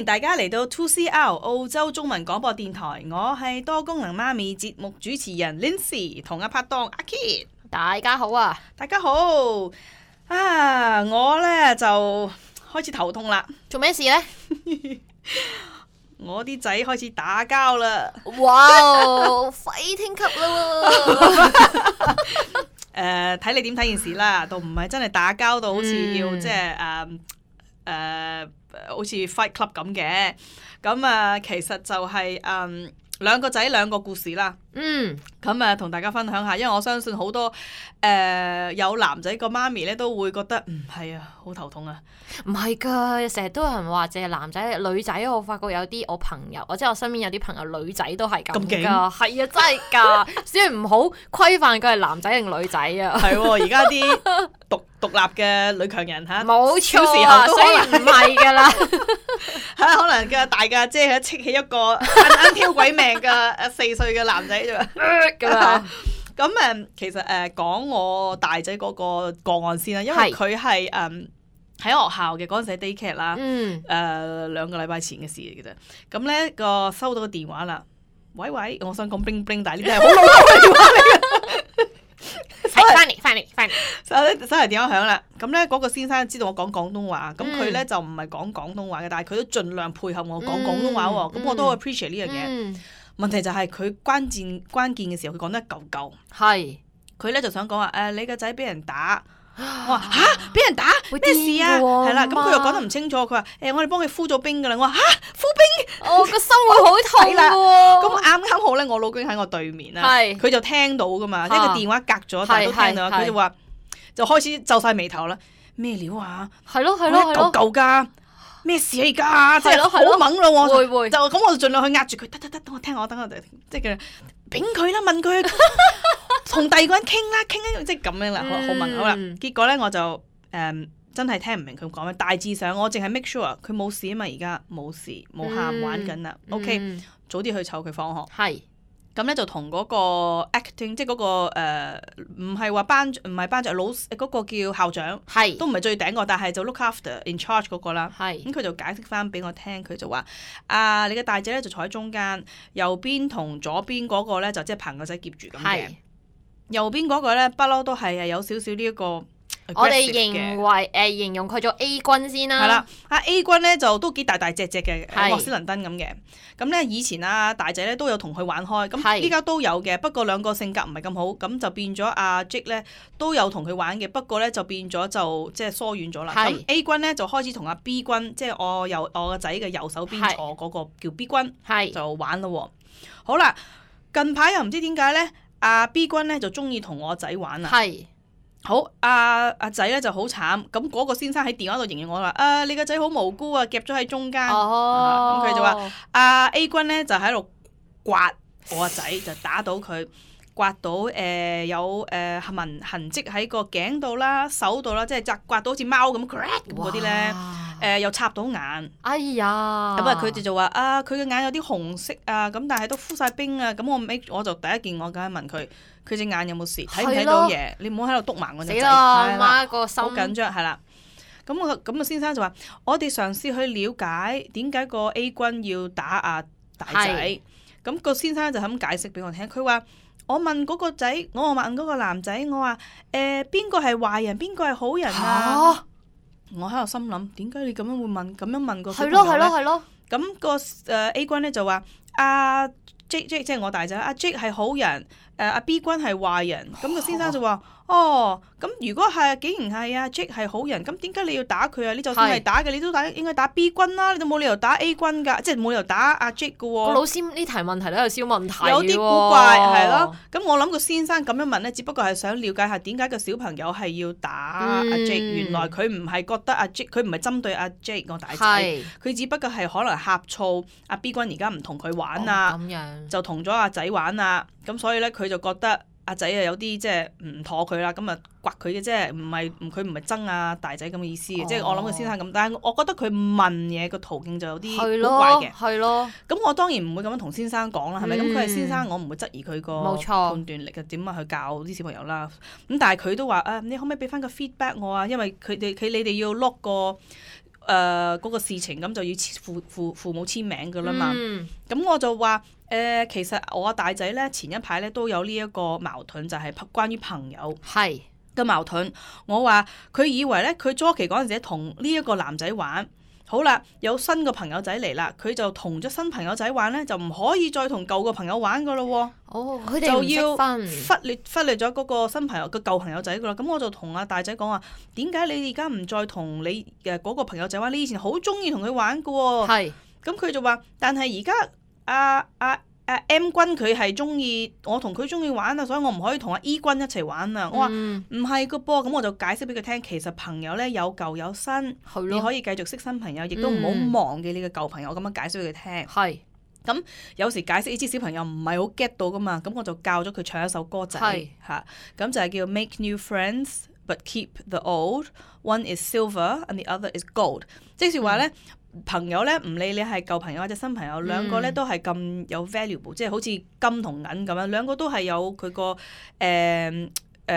大家嚟到 2CR 澳洲中文廣播電台，我係多功能媽咪節目主持人 Lindsay 同阿拍檔阿 Kit。大家好啊！大家好啊！我呢就開始頭痛啦。做咩事呢？我啲仔開始打交啦。哇！fighting 級啦！睇你點睇件事啦，都唔係真係打交到好似要即係好似 fight club 咁嘅。咁其實就係兩個仔兩個故事啦。咁同大家分享下，因為我相信好多有男仔個媽咪咧都會覺得係啊，好頭痛啊。唔係㗎，成日都有人話淨係男仔，女仔我發覺有啲我朋友，或者我身邊有啲朋友女仔都係咁㗎。係啊，真係㗎，所以唔好規範佢係男仔定女仔啊。係喎，而家啲獨立嘅女強人嚇，冇錯啊，所以唔係㗎啦。可能嘅大嘅姐係戚起一個啱挑鬼命嘅4歲嘅男仔啫嘛。咁其實講我大仔嗰個個案先啦，因為佢係喺學校嘅嗰陣時 daycare 啦，2個禮拜前嘅事嚟嘅啫。咁咧收到個電話啦，喂，我想講 bling bling，但係呢啲係好老土嘅電話嚟嘅。收嚟電話響啦，咁咧嗰個先生知道我講廣東話，咁佢咧就唔係講廣東話嘅，但係佢都盡量配合我講廣東話喎，咁我都 appreciate 呢樣嘢。問題就係佢關鍵嘅時候，佢講得一嚿嚿。係，佢咧就想講話你個仔俾人打。我話嚇，俾人打咩事啊？係啦，咁佢又講得唔清楚。佢話我哋幫佢敷咗冰㗎啦。我話嚇，敷冰，我個心會好痛喎。咁啱好咧，我老公喺我對面啦，佢就聽到㗎嘛，即係個電話隔咗，但係都聽到。佢就話就開始皺晒眉頭啦。咩料啊？係咯，嚿嚿㗎。咩事啊而家？即係好猛咯喎！會就咁，我就盡量去壓住佢。得，等我聽我，即係佢抦佢啦，問佢同第二個人傾啦，即係咁樣啦，好問好啦。結果咧我就真係聽唔明佢講咩。大致上我淨係 make sure 佢冇事啊嘛，而家冇事冇喊玩緊啦。OK， 早啲去湊佢放學。係。咁咧就同嗰個 acting， 即係嗰個唔係班長老嗰個叫校長，都唔係最頂個，但係就 look after in charge 嗰個啦。咁佢就解釋翻俾我聽，佢就話你嘅大仔咧就坐喺中間，右邊同左邊嗰個咧就即係棚個仔夾住咁嘅。右邊嗰個咧不嬲都係有少少呢一個。我哋形容佢做 A 君先啦。係啦，A 君咧就都幾大隻嘅，莫斯倫登咁嘅。咁咧以前大仔咧都有同佢玩開，咁依家都有嘅。不過兩個性格唔係咁好，咁就變咗阿 Jake 咧都有同佢玩嘅。不過咧就變咗就即係疏遠咗啦。咁 A 君咧就開始同阿 B 君，即係我個仔嘅右手邊坐嗰個叫 B 君，就玩咯。好啦，近排又唔知點解咧，阿 B 君咧就中意同我仔玩啦。好，阿仔咧就好慘，咁嗰個先生喺電話度形容我話你個仔好無辜啊，夾咗喺中間。咁佢就話A 君咧就喺度刮我個仔，就打到佢，刮到有痕跡喺個頸度啦、手度啦，即係刮到好似貓咁 crack 咁嗰啲咧，又插到眼。哎呀！咁佢哋就話佢嘅眼有啲紅色啊，咁但係都敷晒冰啊，咁我就第一件我梗係問佢隻眼有冇事，睇唔睇到嘢？你唔好喺度篤盲我隻仔。死啦！媽個心好緊張，係啦。咁個先生就話：我哋嘗試去了解點解個 A 君要打大仔。咁個先生就咁解釋俾我聽，佢話：我問嗰個仔，我問嗰個男仔，我話邊個係壞人，邊個係好人啊？我喺度心諗，點解你咁樣會咁樣問個小朋友咧？係咯。咁個A 君咧就話：Jake 即係我大仔，Jake 係好人，B 君係壞人。咁個先生就話：咁如果竟然係Jake 係好人，咁點解你要打佢啊？你就算係打嘅，你都應該打 B 君啦，你都冇理由打 A 君噶，即係冇理由打Jake噶喎。個老師呢題問題都有少問題，有啲古怪係咯。咁我諗個先生咁樣問咧，只不過係想了解下點解個小朋友係要打Jake。原來佢唔係覺得Jake，佢唔係針對Jake 個大仔，佢只不過係可能呷醋B 君而家唔同佢玩啊，就同咗仔玩啊，咁所以咧佢就覺得仔有啲即係唔妥佢啦，咁刮佢嘅啫，佢唔係憎大仔咁嘅意思嘅，即係我諗個先生咁，但係我覺得佢問嘢個途徑就有啲古怪嘅。係咯。咁我當然唔會咁樣同先生講啦，係咪？咁佢係先生，我唔會質疑佢個判斷力嘅點樣去教啲小朋友啦。咁但係佢都話你可唔可以俾翻個 feedback 我啊？因為你哋要 lock 個嗰個事情，咁就要父母簽名㗎啦嘛。咁我就話其實我大仔咧前一排咧都有呢一個矛盾，就係關於朋友嘅矛盾。我話佢以為咧佢初期嗰陣時同呢一個男仔玩。好啦，有新個朋友仔嚟啦，佢就同咗新朋友仔玩咧，就唔可以再同舊個朋友玩噶咯喎。佢哋唔識分，忽略咗嗰個新朋友個舊朋友仔噶啦。咁我就同阿大仔講話，點解你而家唔再同你嗰個朋友仔玩？你以前好中意同佢玩噶喎。咁佢就話，但係而家M 君佢係中意我同佢中意玩啊，所以我唔可以同阿 E 君一齊玩啊。我話唔係個噃，咁我就解釋俾佢聽，其實朋友咧有舊有新，你可以繼續識新朋友，亦都唔好忘記你嘅舊朋友。咁樣解釋俾佢聽。咁有時解釋呢啲小朋友唔係好 get 到噶嘛，咁我就教咗佢唱一首歌仔嚇，咁就係叫 Make New Friends But Keep the Old. One is silver and the other is gold。即係話咧。朋友咧唔理你係舊朋友或者新朋友，兩個咧都係咁有 valuable，即係好似金同銀咁樣，兩個都係有佢個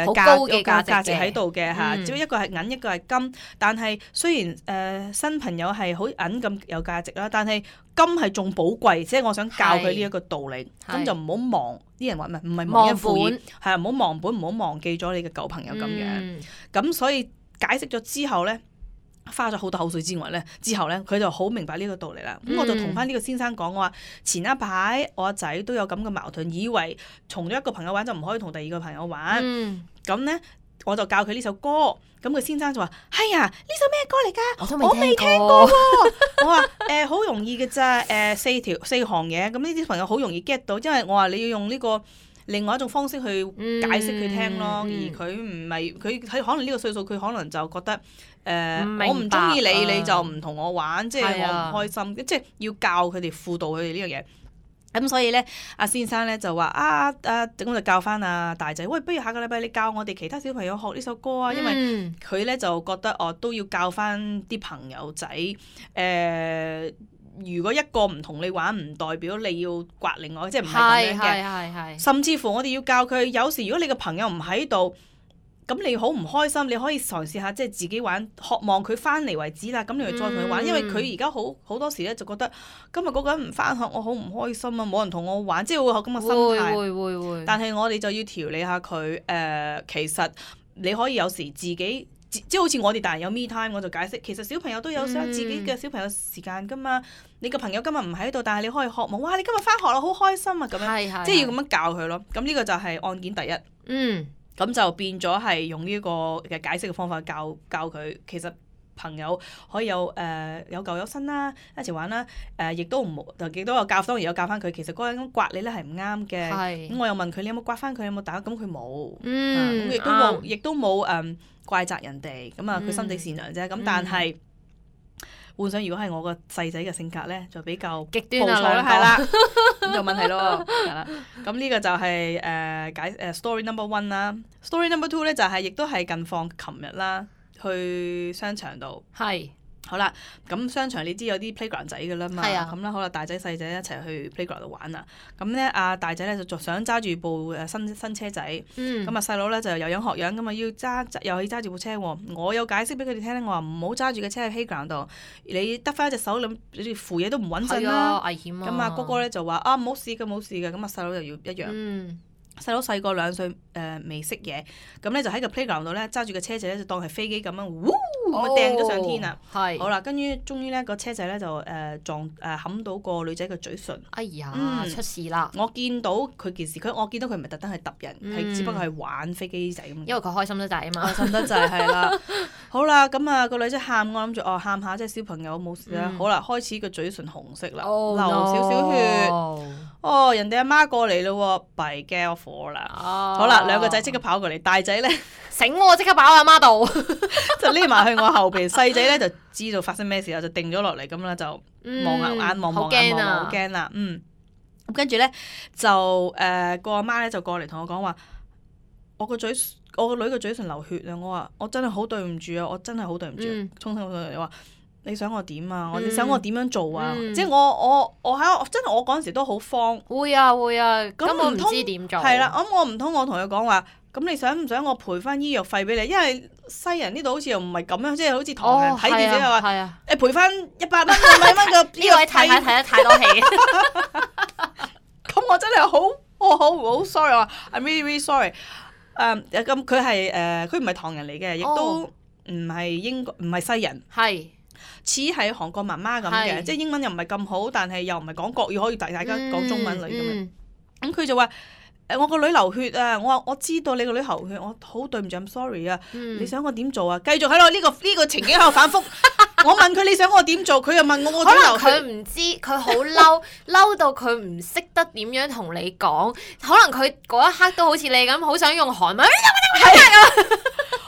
好高嘅價值喺度嘅嚇。只不過一個係銀，一個係金。但係雖然新朋友係好銀咁有價值啦，但係金係仲寶貴。即係我想教佢呢一個道理，咁就唔好忘。啲人話唔係忘恩負義，係唔好忘本，唔好忘記咗你嘅舊朋友咁樣。咁所以解釋咗之後咧。花咗好多口水之後咧，佢就好明白呢個道理啦。咁我就同翻呢個先生講，我話前一排我阿仔都有咁嘅矛盾，以為同咗一個朋友玩就唔可以同第二個朋友玩。咁咧我就教佢呢首歌，咁個先生就話：係啊，呢首咩歌嚟㗎？我未聽過喎。我話好容易嘅咋，四行嘢，咁呢啲朋友好容易 get 到，因為我話你要用呢個。另外一種方式去解釋佢聽咯，而佢唔係佢可能呢個歲數，佢可能就覺得我唔中意你，你就唔同我玩，即係我唔開心，即係要教佢哋輔導佢哋呢樣嘢。咁所以咧，阿先生咧就話咁就教翻阿大仔，喂，不如下個禮拜你教我哋其他小朋友學呢首歌啊，因為佢咧就覺得都要教翻啲朋友仔如果一個唔同你玩，唔代表你要刮另外，即係唔係咁樣嘅。甚至乎我哋要教佢，有時如果你個朋友唔喺度，咁你好唔開心，你可以嘗試下即係自己玩，渴望佢翻嚟為止啦。咁你咪再同佢玩，因為佢而家好多時咧就覺得今日嗰個人唔翻學，我好唔開心啊，冇人同我玩，即係會有咁嘅心態。會。但係我哋就要調理下佢。其實你可以有時自己。即係好似我哋大人有 me time， 我就解釋其實小朋友都有想自己嘅小朋友時間㗎嘛。你個朋友今日唔喺度，但係你可以渴望，哇！你今日返學啦，好開心啊咁樣，即係要咁樣教佢咯。咁呢個就係案件第一。咁就變咗係用呢個嘅解釋嘅方法教佢，其實朋友可以有舊有新啦，一齊玩啦。亦都有教，當然有教翻佢。其實嗰個人刮你咧係唔啱嘅。咁我又問佢你有冇刮翻佢，有冇打？咁佢冇。亦都冇怪責人哋。咁佢心地善良啫。咁但係換上如果係我個細仔嘅性格咧，就比較極端啦，係啦，咁就問題咯。係啦。咁呢個就係story number one 啦。story number two 咧就係亦都係近況琴日啦。去商場度，好啦，咁商場你知有啲 playground 仔㗎啦嘛，咁啦，好啦，大仔細仔一齊去 playground 度玩啦。咁咧，阿大仔咧就想揸住部新車仔，咁細佬咧就有樣學樣，咁啊又要揸住部車喎。我有解釋俾佢哋聽咧，我話唔好揸住個車去 playground 度，你得翻一隻手諗，你扶嘢都唔穩陣啦，危險啊。咁哥哥咧就話冇事嘅，冇事嘅，咁細佬就要一樣。細佬細個2歲，未識嘢，咁咧就喺個 playground 度咧揸住個車仔咧就當係飛機咁樣，咁啊掟咗上天啦。好啦，跟住終於咧個車仔咧就冚到個女仔嘅嘴唇。哎呀，出事啦！我見到佢件事，我見到佢唔係特登係揼人，係只不過係玩飛機仔咁。因為佢開心得滯啊嘛，開心得滯係啦。好啦，咁個女仔喊，我諗住喊下即係小朋友冇事啦。好啦，開始個嘴唇紅色啦，流少少血。人哋阿媽過嚟咯喎，弊嘅火啦。好啦，兩個仔即刻跑過嚟，大仔咧醒喎，即刻跑阿媽度，就匿埋去我後邊。細仔咧就知道發生咩事啦，就定咗落嚟咁啦，就望眼望好驚啦。咁跟住咧就個阿媽咧就過嚟同我講話，我個女個嘴唇流血啊！我話我真係好對唔住啊，我真係好對唔住。衷心對你話。你想我點啊？你想我點樣做啊？即係我喺真係我嗰陣時都好慌。會啊，根本唔知點做。係啦，我唔通我同佢講話，咁你想唔想我賠翻醫藥費俾你？因為西人呢度好似又唔係咁樣，即係好似唐人睇電視又話誒賠翻100蚊200蚊嘅呢位太太睇得太多戲。咁我真係好 sorry 啊 ，I'm really sorry。咁佢係佢唔係唐人嚟嘅，亦都唔係西人，似係韓國媽媽咁嘅，即係英文又唔係咁好，但係又唔係講國語，可以大家講中文嚟咁樣。咁佢就話我個女流血啊！我話我知道你個女流血，我好對唔住，I'm sorry 啊！你想我點做啊？繼續喺度呢個情景喺度反覆。我問佢你想我點做，佢又問我點流血。可能佢唔知，佢好嬲到佢唔識得點樣同你講。可能佢嗰一刻都好似你咁，好想用韓文。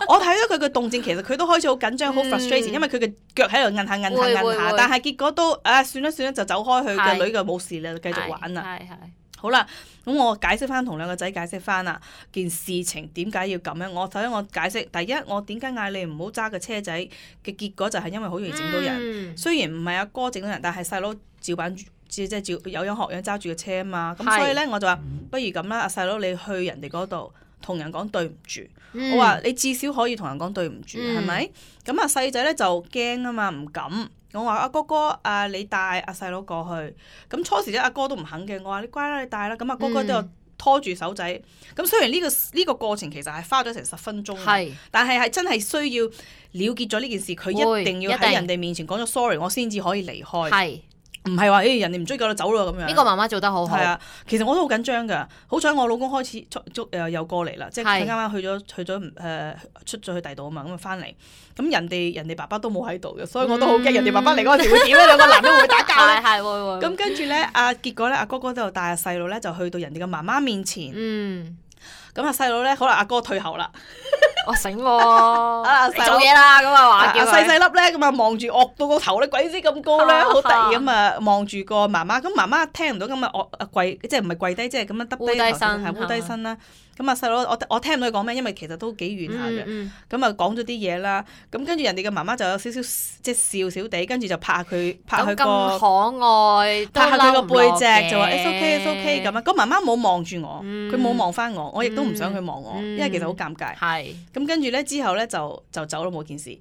我睇到佢嘅動靜，其實佢都開始好緊張，好 frustrated，因為佢嘅腳喺度摁下，但係結果都算啦，就走開，佢嘅女就冇事啦，繼續玩啦。好啦，咁我解釋翻同兩個仔解釋翻啦，件事情點解要咁樣？首先我解釋，第一我點解嗌你唔好揸個車仔嘅結果就係因為好容易整到人。雖然唔係阿哥整到人，但係細佬照板即係照有樣學樣揸住個車啊嘛。咁所以咧我就話不如咁啦，阿細佬你去人哋嗰度同人講對唔住。我話你至少可以同人講對唔住，係咪？咁啊細仔咧就驚啊嘛，唔敢。我話阿哥哥你帶阿細佬過去。咁初時咧阿哥都唔肯嘅，我話你乖啦，你帶啦。咁阿哥哥都有拖住手仔。咁雖然呢個過程其實係花咗成10分鐘，但係真係需要了結咗呢件事，佢一定要喺人哋面前講咗 sorry， 我先至可以離開。唔係話人哋唔追究就走咯咁樣。呢個媽媽做得好好。係啊，其實我都好緊張㗎。好彩我老公開始又過嚟啦，即係佢啱啱去咗出咗去第度啊嘛，咁啊翻嚟。咁人哋爸爸都冇喺度嘅，所以我都好驚人哋爸爸嚟嗰陣時會點咧？兩個男人會唔會打交咧？係會。咁跟住咧，結果咧，阿哥哥就帶阿細佬咧就去到人哋嘅媽媽面前。咁阿細佬咧，可能阿哥退後啦。我醒喎，你做嘢啦咁啊話叫佢細粒咧，咁啊望住惡到個頭咧，鬼死咁高咧，好得意咁啊望住個媽媽，咁媽媽聽唔到咁啊跪，即係唔係跪低，即係咁樣耷低頭，係烏低身啦。咁啊細佬，我聽唔到佢講咩，因為其實都幾遠下嘅。咁啊講咗啲嘢啦，咁跟住人哋嘅媽媽就有少少即係笑笑地，跟住就拍下佢個咁可愛，拍下佢個背脊，就話 it's okay 咁啊。個媽媽冇望住我，佢冇望翻我，我亦都唔想佢望我，因為其實好尷尬。咁跟住咧之後咧就走咯，冇件事。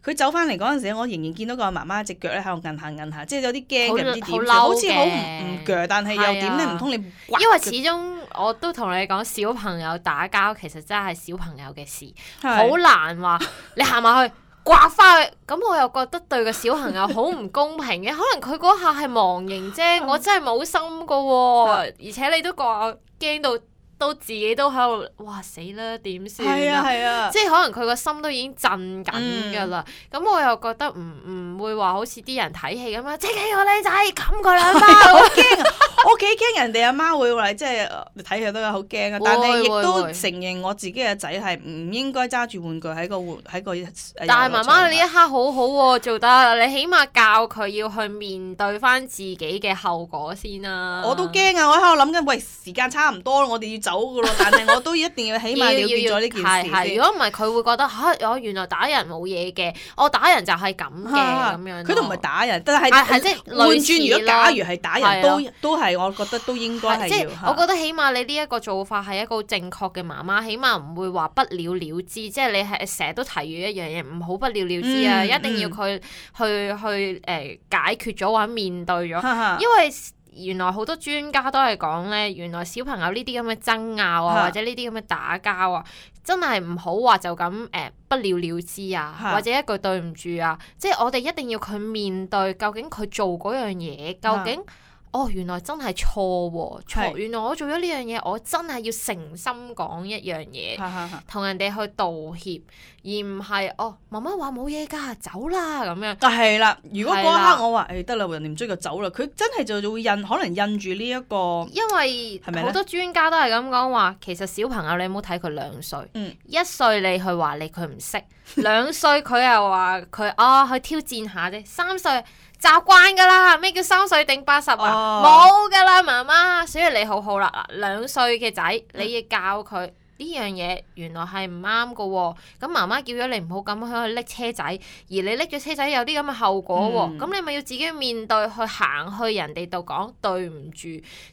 佢走翻嚟嗰陣時，我仍然見到個媽媽隻腳咧喺度摁下，即係有啲驚嘅，唔知點，好似好唔鋸，但係又點咧？唔通你因為始終我都同你講，小朋友打交其實真係小朋友嘅事，好難話你行埋去刮翻去，咁我又覺得對個小朋友好唔公平嘅。可能佢嗰下係忘形啫，我真係冇心噶喎，而且你都話驚到。都自己都喺度，哇死啦點算啊！即係可能佢個心都已經震緊㗎啦。咁我又覺得唔會話好似啲人睇戲咁樣，即係個僆仔冚佢兩包，好驚啊！我幾驚人哋阿媽會話，即係睇戲都有好驚啊！但係亦都承認我自己嘅仔係唔應該揸住玩具喺個。但係媽媽你呢一刻好好喎，做得你起碼教佢要去面對翻自己嘅後果先啦。我都驚啊！我喺度諗緊，喂時間差唔多，我哋要走㗎咯，但係我都一定要起碼了結咗呢件事先。如果唔係，佢會覺得我原來打人冇嘢嘅，我打人就係咁嘅咁樣。佢都唔係打人，但係即係換轉，如果假如係打人，都係我覺得都應該係要。我覺得起碼你呢一個做法係一個正確嘅媽媽，起碼唔會話不了了之。即係你係成日都提住一樣嘢，唔好不了了之啊！一定要佢去解決咗或者面對咗，因為。原來好多專家都係講咧，原來小朋友呢啲咁嘅爭拗啊，或者呢啲咁嘅打交啊，真係唔好話就咁不了了之啊，或者一句對唔住啊，即係我哋一定要佢面對，究竟佢做嗰樣嘢，究竟原來真係錯喎，原來我做咗呢樣嘢，我真係要誠心講一樣嘢，同人哋去道歉，而唔係媽媽話冇嘢㗎，走啦咁樣。但係啦，如果嗰一刻我話得啦，人哋唔追就走啦，佢真係就會可能印住呢一個。因為好多專家都係咁講話，其實小朋友你唔好睇佢2歲，1歲你去話佢唔識，2歲佢又話佢去挑戰下啫，3歲。習慣㗎啦，咩叫3歲定80啊？冇㗎啦，媽媽。所以你好啦，2歲嘅仔，你要教佢呢呢樣嘢原來係唔啱㗎喎。咁媽媽叫咗你唔好咁樣去拎車仔，而你拎咗車仔有啲咁嘅後果喎。咁你咪要自己面對去行去人哋度講對唔住，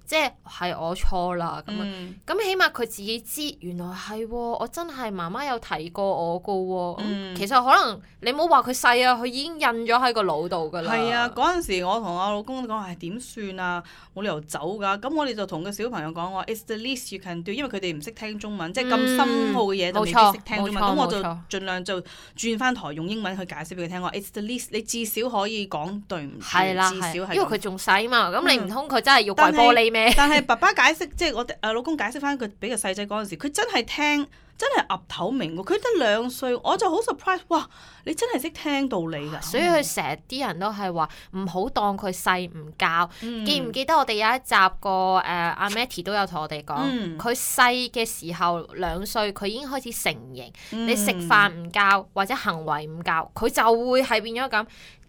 即係我錯啦咁樣。咁起碼佢自己知原來係喎，我真係媽媽有提過我㗎喎。其實可能你冇話佢細啊，佢已經印咗喺個腦度㗎啦。係啊，嗰陣時我同我老公講係點算啊，冇理由走㗎。咁我哋就同個小朋友講話 ，It's the least you can do， 因為佢哋唔識聽中文，即係咁深奧嘅嘢就未必識聽中文。咁我就盡量就轉翻台用英文去解釋俾佢聽。話 It's the least， 你至少可以講對唔住，至少係。因為佢仲細嘛，咁你唔通佢真係要跪玻璃咩？但係爸爸解釋，即係我老公解釋翻佢俾個細仔嗰陣時，佢真係聽。真係噏頭明喎，佢得2歲，我就好 surprise， 哇！你真係識聽道理㗎。所以佢成日啲人都係話唔好當佢細唔教。記唔記得我哋有一集個阿 Matty 都有同我哋講，佢細嘅時候2歲，佢已經開始成形。你食飯唔教或者行為唔教，佢就會係變咗咁。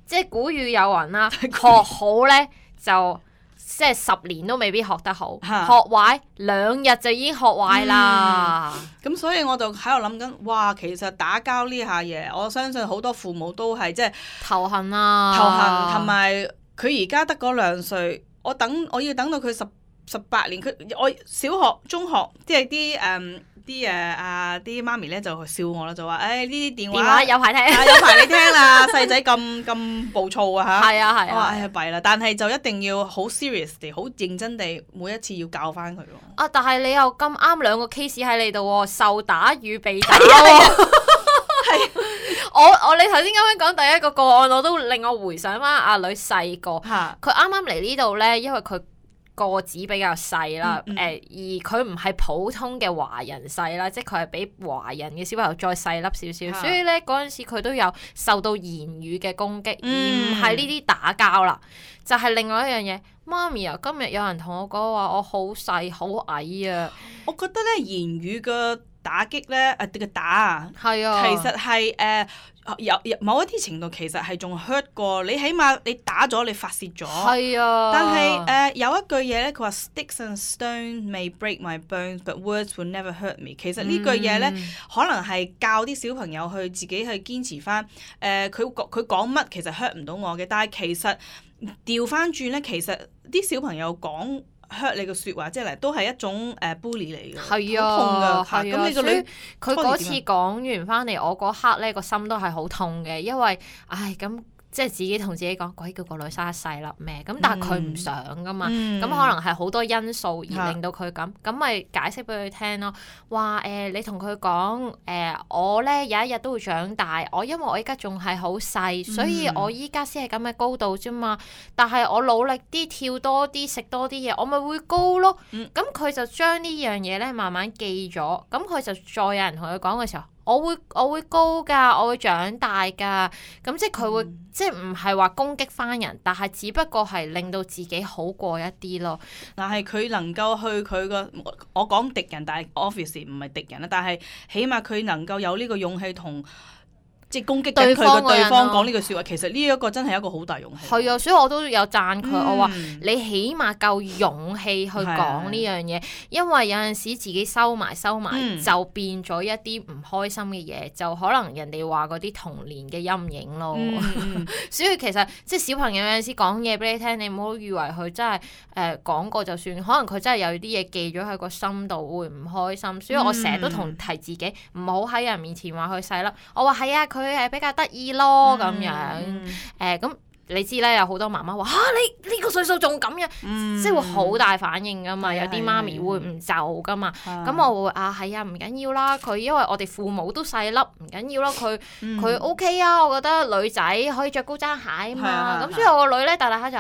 即係古語有云啦，學好咧就。即係10年都未必學得好，學壞2日就已經學壞啦。咁所以我就喺度諗緊，哇！其實打交呢下嘢，我相信好多父母都係即係頭痕啊，頭痕，同埋佢而家得嗰2歲，我要等到佢18年，我小學、中學，即係啲媽咪咧就笑我啦，就話呢啲電話有排聽，有排你聽啦，細仔咁暴躁啊嚇！係啊係啊，我話弊啦，但係就一定要好 serious 地、好認真地，每一次要教翻佢咯。啊！但係你又咁啱2個 case 喺你度喎，受打與被打喎。你頭先咁樣講第一個個案，我都令我回想翻阿女細個，佢啱啱嚟呢度咧，因為佢個子比較細啦，而佢唔係普通嘅華人細啦，即係佢係比華人嘅小朋友再細粒少少，所以咧嗰陣時佢都有受到言語嘅攻擊，而唔係呢啲打交啦，就係另外一樣嘢。媽咪啊，今日有人同我講話我好細好矮啊，我覺得咧言語嘅打擊咧，嘅打啊，係啊，其實係有某一啲程度其實係仲 hurt 過你，起碼你打咗你發泄咗。係啊。但係有一句嘢咧，佢話 Sticks and stones may break my bones，but words will never hurt me。其實呢句嘢咧，可能係教啲小朋友去自己去堅持翻。佢講乜其實 hurt 唔到我嘅，但係其實調翻轉咧，其實啲小朋友講hurt你嘅説話，即係都係一種bully 嚟嘅，係啊，好痛㗎。咁你個女佢嗰次講完翻嚟，我嗰刻咧個心都係好痛嘅，因為咁。即係自己同自己講，鬼叫個女生一細粒咩？咁但係佢唔想噶嘛，咁可能係好多因素而令到佢咁咪解釋俾佢聽咯。話你同佢講我咧有一日都會長大，因為我依家仲係好細，所以我依家先係咁嘅高度啫嘛。但係我努力啲跳多啲食多啲嘢，我咪會高咯。咁佢就將呢樣嘢咧慢慢記咗，咁佢就再有人同佢講嘅時候。我會高㗎，我會長大㗎，咁即係佢會即係唔係話攻擊翻人，但係只不過係令到自己好過一啲咯。但係佢能夠去佢個我講敵人，但係 obviously 唔係敵人啦，但係起碼佢能夠有呢個勇氣同。即係攻擊緊佢個對方講呢句説話，其實呢一個真係一個好大勇氣。係啊，所以我都有讚佢，我話你起碼夠勇氣去講呢樣嘢，因為有陣時自己收埋就變咗一啲唔開心嘅嘢，就可能人哋話嗰啲童年嘅陰影咯。所以其實即係小朋友有陣時講嘢俾你聽，你唔好以為佢真係講過就算，可能佢真係有啲嘢記咗喺個心度，會唔開心。所以我成日都提自己唔好喺人面前話佢細粒。我話係啊，佢係比較得意咯咁樣，咁你知咧，有好多媽媽話你呢個歲數仲咁樣，即係會好大反應噶嘛。有啲媽咪會唔就噶嘛。咁我會係啊，唔緊要啦。佢因為我哋父母都細粒，唔緊要啦。佢 OK 啊，我覺得女仔可以着高踭鞋啊嘛。咁所以我個女咧大下就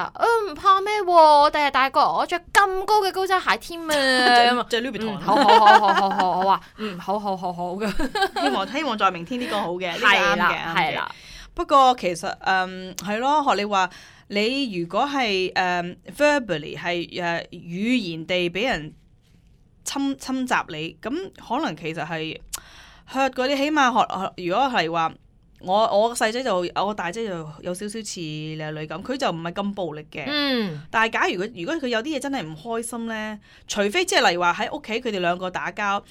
唔怕咩喎，我第日大個我着咁高嘅高踭鞋添啊。就 Louis Vuitton。好，我話好嘅。希望在明天呢個好嘅，呢個啱嘅，係啦。不過其實係咯，學你話，你如果係verbally 係語言地俾人侵襲你，咁可能其實係 hurt 嗰啲，起碼學如果係話我個細仔就我大姐就有少少似你女咁，佢就唔係咁暴力嘅。但係假如如果佢有啲嘢真係唔開心咧，除非即係例如話喺屋企佢哋兩個打交。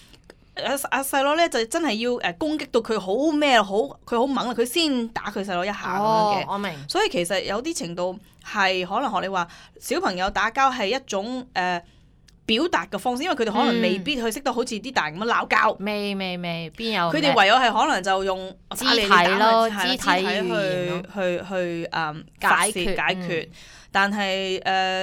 阿細佬咧就真係要攻擊到佢好咩好，佢好猛啦，佢先打佢細佬一下咁樣嘅。我明。所以其實有啲程度係可能學你話，小朋友打交係一種表達嘅方式，因為佢哋可能未必去識得好似啲大人咁樣鬧交。未，邊有？佢哋唯有係可能就用肢體咯，肢體去解決。但係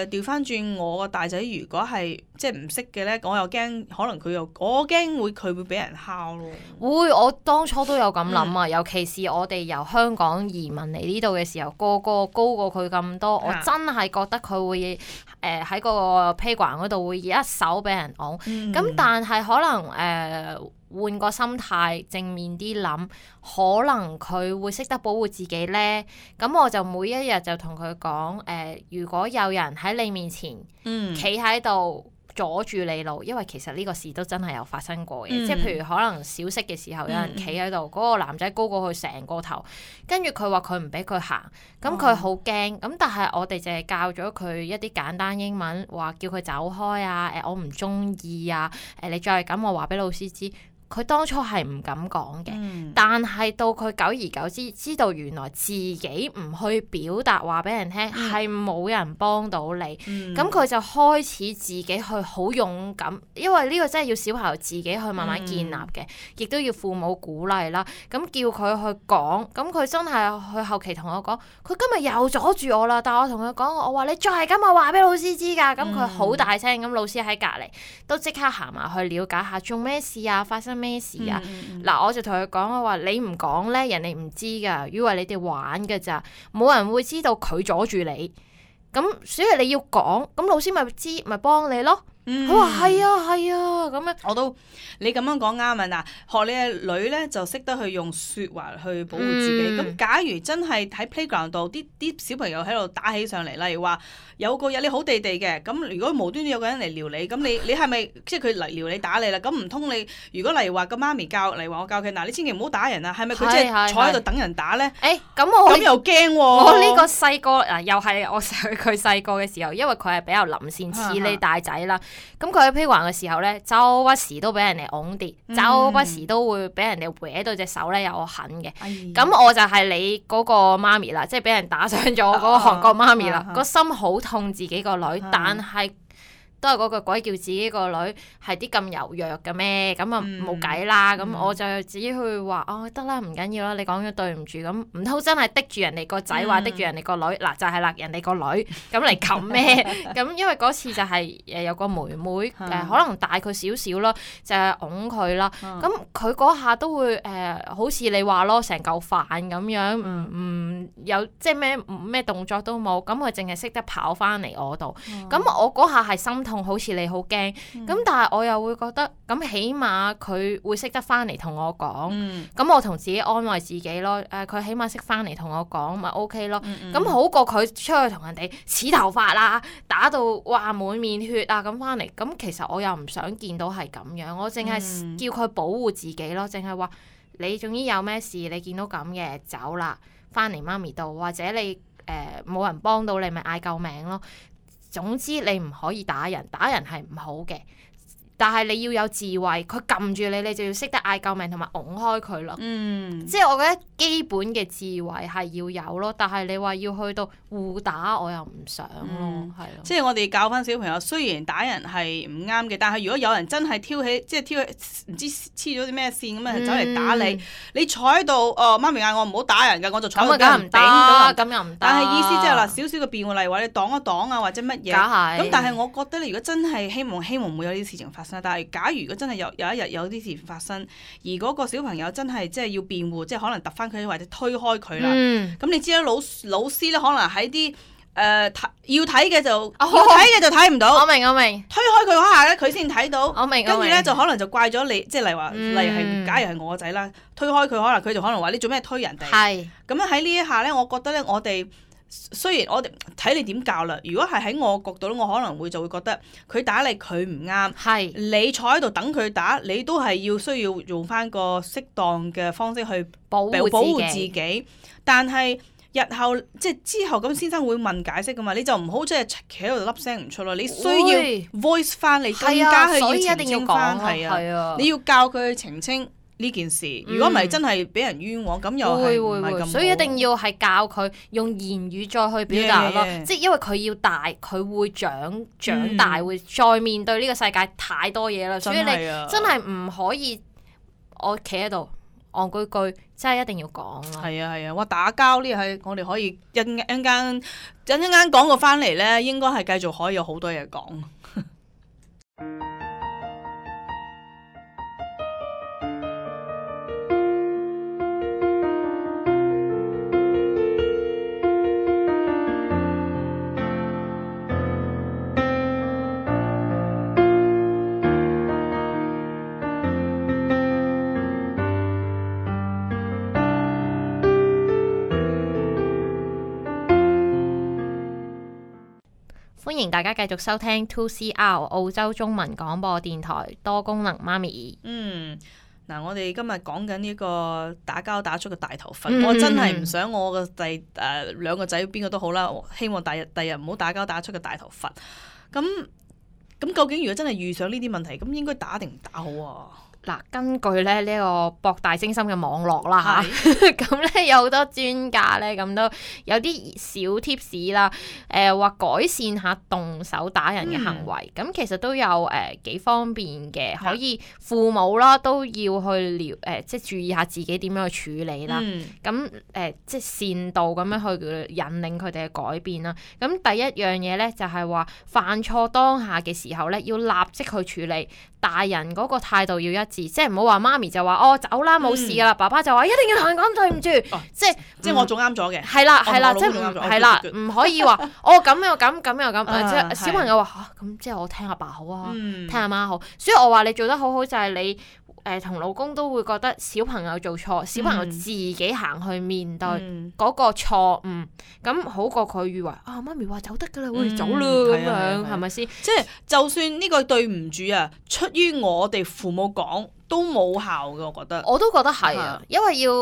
調翻轉我個大仔，如果係即係唔識嘅咧，我又驚可能我驚佢會俾人敲咯。會，我當初都有咁諗啊，尤其是我哋由香港移民嚟呢度嘅時候，個個高過佢咁多，我真係覺得佢會喺個 playground 嗰度會一手俾人㧬。咁但係可能換個心態，正面啲諗，可能佢會識得保護自己呢。咁我就每一日就同佢講，如果有人喺你面前企喺度阻住你路，因為其實呢個事都真係有發生過嘅，即係譬如可能小息嘅時候有人企喺度，嗰個男仔高過佢成個頭，跟住佢話佢唔俾佢行，咁佢好驚，咁但係我哋淨係教咗佢一啲簡單英文，話叫佢走開啊，我唔中意啊，你再係咁我話俾老師知。佢當初係唔敢講嘅，但係到佢久而久之知道原來自己唔去表達話俾人聽係冇人幫到你，咁佢就開始自己去好勇敢，因為呢個真係要小朋友自己去慢慢建立嘅，亦都要父母鼓勵啦。咁叫佢去講，咁佢真係去後期同我講，佢今日又阻住我啦。但係我同佢講，我話你再係咁，我話俾老師知㗎。咁佢好大聲，咁老師喺隔離都即刻行埋去了解下做咩事啊，發生咩事啊？嗱，我就同佢講，我話你唔講咧，人哋唔知噶，以為你哋玩噶咋，冇人會知道佢阻住你。咁所以你要講，咁老師咪知，咪幫你咯。佢話係啊，咁樣我都你咁樣講啱啊！嗱，學你嘅女咧就識得去用説話去保護自己。咁假如真係喺 playground 度，啲小朋友喺度打起上嚟，例如話有個日你好地地嘅，咁如果無端端有個人嚟撩你，咁你係咪即係佢嚟撩你打你啦？咁唔通你如果例如話個媽咪教嚟話我教佢嗱，你千祈唔好打人啊，係咪佢即係坐喺度等人打咧？咁又驚喎！我呢個細個又係我佢細個嘅時候，因為佢係比較臨線似你大仔啦。咁佢喺 playground 嘅時候咧，周不時都俾人哋㧬跌，周不時都會俾人哋搲到隻手咧有痕嘅。咁我就係你嗰個媽咪啦，即係俾人打傷咗嗰個韓國媽咪啦，個心好痛自己個女，但係都係嗰個鬼叫自己個女係啲咁柔弱嘅咩？咁啊冇計啦。咁我就自己去話得啦，唔緊要啦。你講咗對唔住，咁唔通真係滴住人哋個仔，話滴住人哋個女嗱就係啦，人哋個女咁嚟冚咩？咁因為嗰次就係有個妹妹可能大佢少少咯，就係擁佢啦。咁佢嗰下都會好似你話咯，成嚿飯咁樣，唔有即係咩動作都冇，咁佢淨係識得跑翻嚟我度。咁我嗰下係心痛，好似你好驚，咁但係我又會覺得，咁起碼佢會識得翻嚟同我講，咁我同自己安慰自己咯。佢起碼識翻嚟同我講，咪 OK 咯。咁好過佢出去同人哋扯頭髮啦，打到哇滿面血啊咁翻嚟。咁其實我又唔想見到係咁樣，我淨係叫佢保護自己咯，淨係話你總之有咩事，你見到咁嘅走啦，翻嚟媽咪度，或者你冇人幫到你，咪嗌救命咯。總之你唔可以打人，打人係唔好嘅，但係你要有智慧，佢撳住你，你就要識得嗌救命同埋拱開佢咯。即係我覺得基本嘅智慧係要有咯，但係你話要去到互打，我又唔想咯，係咯。即係我哋教翻小朋友，雖然打人係唔啱嘅，但係如果有人真係挑起唔知黐咗啲咩線咁樣走嚟打你，你坐喺度，媽咪嗌我唔好打人㗎，我就坐喺度唔頂咁又唔得。但係意思即係嗱，少少嘅辯護，例如話你擋一擋啊，或者乜嘢。咁但係我覺得你如果真係希望唔會有呢啲事情發生，但係假如如果真係有一日有啲事情發生，而嗰個小朋友真係即係要辯護，即係可能揼翻佢或者推開佢啦。咁你知啦，老師咧可能喺啲要睇嘅就睇唔到。我明。推開佢嗰下咧，佢先睇到。我明。跟住咧就可能就怪咗你，即係例如話，例如係假如係我個仔啦，推開佢，可能佢就可能話你做咩推人哋。係。咁樣喺呢一下咧，我覺得咧，我哋雖然我哋睇你點教啦，如果係喺我角度咧，我可能就會覺得佢打你佢唔啱。係。你坐喺度等佢打，你都係需要用翻個適當嘅方式去保護自己。但係日後即係之後咁先生會問解釋噶嘛，你就唔好即係企喺度粒聲唔出咯，你需要 voice 翻，你更加係要澄清翻，係啊，你要教佢去澄清呢件事。如果唔係真係俾人冤枉，咁又係唔係咁好。所以一定要係教佢用言語再去表達咯，即係因為佢要大，佢會長大，會再面對呢個世界太多嘢啦，所以你真係唔可以我企喺度戇居居，真係一定要講咯。係啊，哇！打交呢係我哋可以一陣間講過翻嚟咧，應該係繼續可以有好多嘢講。歡迎大家繼續收聽 2CR 澳洲中文廣播電台多功能媽咪。嗱，我哋今日講緊呢個打交打出個大頭佛，我真係唔想我個兩個仔邊個都好啦，希望第日唔好打交打出個大頭佛。咁究竟如果真係遇上呢啲問題，咁應該打定唔打好啊？嗱，根據咧呢個博大精深嘅網絡啦嚇，咁咧有好多專家咧咁都有啲小 tips 啦，話改善下動手打人嘅行為，咁其實都有幾方便嘅，可以父母啦都要去即係注意下自己點樣去處理啦，咁即係善導咁樣去引領佢哋嘅改變啦。咁第一樣嘢咧就係話犯錯當下嘅時候咧，要立即去處理。大人嗰個態度要一致，即係唔好話媽咪就話哦走啦冇事㗎啦，爸爸就話一定要同人講對唔住，即係我做啱咗嘅。係啦，即係唔可以話哦咁又咁即係小朋友話嚇咁即係我聽阿爸好啊，聽阿媽好，所以我話你做得好好就係你同老公都會覺得小朋友做錯，小朋友自己行去面對嗰個錯誤，咁好過佢以為啊媽咪話走得㗎啦，我哋走啦咁樣，係咪先？即係就算呢個對唔住啊，出於我哋父母講都冇效嘅，我覺得。我都覺得係啊，因為要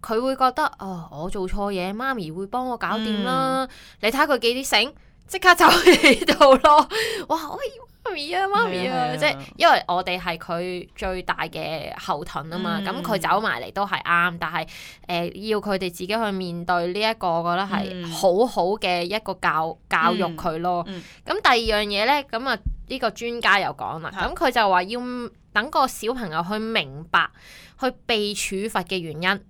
佢會覺得我做錯嘢，媽咪會幫我搞掂啦。你睇下佢幾啲醒，即刻走喺度咯。哇！媽咪啊，即係因為我哋係佢最大嘅後盾啊嘛，咁佢走埋嚟都係啱，但係要佢哋自己去面對呢一個，我覺得係好好嘅一個教育佢咯。咁第二樣嘢咧，咁啊呢個專家又講啦，咁佢就話要等個小朋友去明白去被處罰嘅原因。